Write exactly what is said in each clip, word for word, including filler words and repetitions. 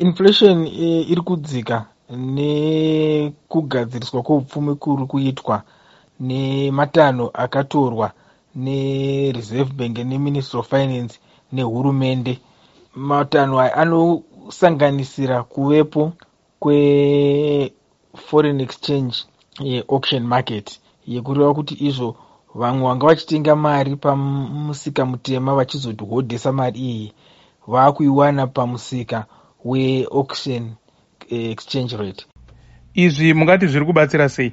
Inflation e, iri kudzika nekugadziriswa kweupfumi kuri kuitwa nematanho akatorwa neReserve Bank, neMinistry of Finance nehurumende. Matanho aya anosanganisira kuvepo kweforeign exchange auction market, yekureva kuti izvo vamwe vanga vachitenga mari pamusika mutema vachizohodhesa mari iyi, vaakuiwana pamusika weauction exchange rate. Izvi mungati zviri kubatsira sei?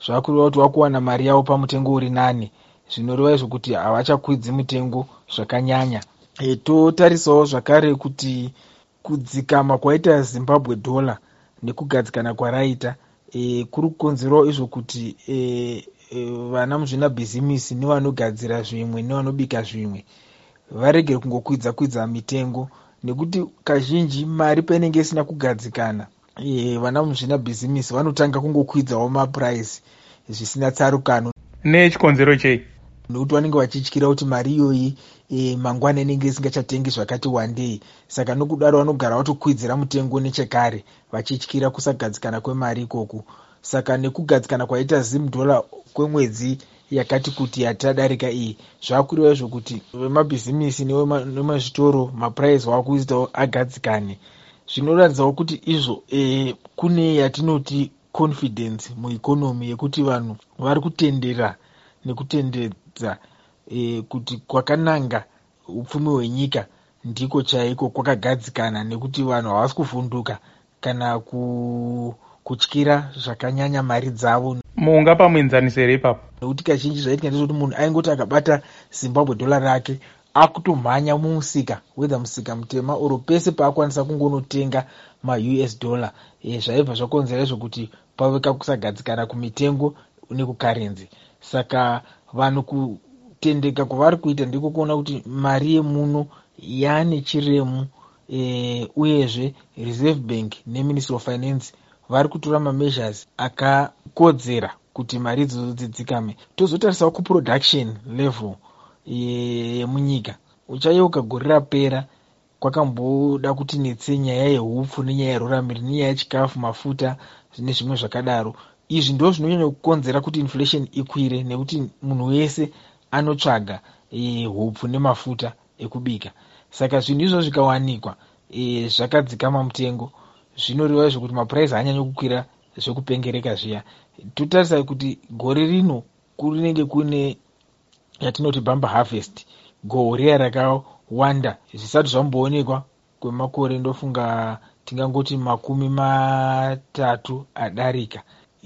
Zvakureva kuti vakuwana mari yavo pamutengo uri nani, zvinoreva izvo kuti havachakwidzi mutengo zvakanyanya. e, totarisawo zvakare kuti kudzikama kwaita Zimbabwe dollar nekugadzikana kwaraita e, kuri kukonzerawo izvo kuti e, e, vana muzvinabhizimisi nevanogadzira zvimwe nevanobika zvimwe varegere kungokwidza kwidza mitengo, nekuti kazhinji mari painenge isina kugadzikana, e, vana muzvinabhizimisi vanotanga kungokwidzawo mapuraisi zvisina tsarukano. Nechikonzero chei? Nekuti vanenge vachityira kuti mari iyoyi e, mangwana inenge isingachatengi zvakati wandei, saka nokudaro vanogara vatokwidzira mutengo nechekare vachityira kusagadzikana kwemari ikoku. Saka nekugadzikana kwaita Zim dollar kwemwedzi yakati kuti yatadarika iyi, zvakureva izvo kuti vemabhizimisi nemazvitoro mapuraisi vakuitawo agadzikane. Zvinoratidzawo kuti izvo e, kune yatinoti confidence mueconomy, yekuti vanhu vari kutendera nekutendedza e, kuti kwakananga upfumi hwenyika ndiko chaiko kwakagadzikana, nekuti vanhu havasi kuvhunduka kana ku, kutyira zvakanyanya mari dzavo. Mungapa muenzaniso here ipapo? Nekuti kazhinji zvaitika ndezvekuti munhu aingoti akabata Zimbabwe dollar rake, akutomhanya mumusika, whether musika mutema oro pese paakwanisa kungonotenga maU S dollar. e, zvaibva zvakonzera izvo kuti pave kakusagadzikana kumitengo nekukarenzi. Saka vanhu kutendeka kwavari kuita ndiko kuona kuti mari yemuno yaane chiremu, e, uyezve Reserve Bank neMinistry of Finance vari kutora mameasures akakodzera kuti mari idzodzo dzidzikame. Tozotarisawo kuproduction level yemunyika. Uchayeuka gore rapera kwakamboda kuti netse nyaya yeupfu nenyaya yeruramiri nenyaya yechikafu, mafuta nezvimwe zvakadaro. Izvi ndo zvinonyanya kukonzera kuti inflation ikwire, nekuti munhu wese anotsvaga e, hupfu nemafuta ekubika. Saka zvinhu izvozvo zvikawanikwa e, zvakadzikama mutengo, zvinoreva izvo kuti mapuraisi haanyanyi kukwira zvekupengereka zviya. Totarisa kuti gore rino kunenge kune yatinoti bumper harvest, gohwo riya rakawanda zvisati zvamboonekwa kwemakore, ndofunga tingangoti makumi matatu adarika.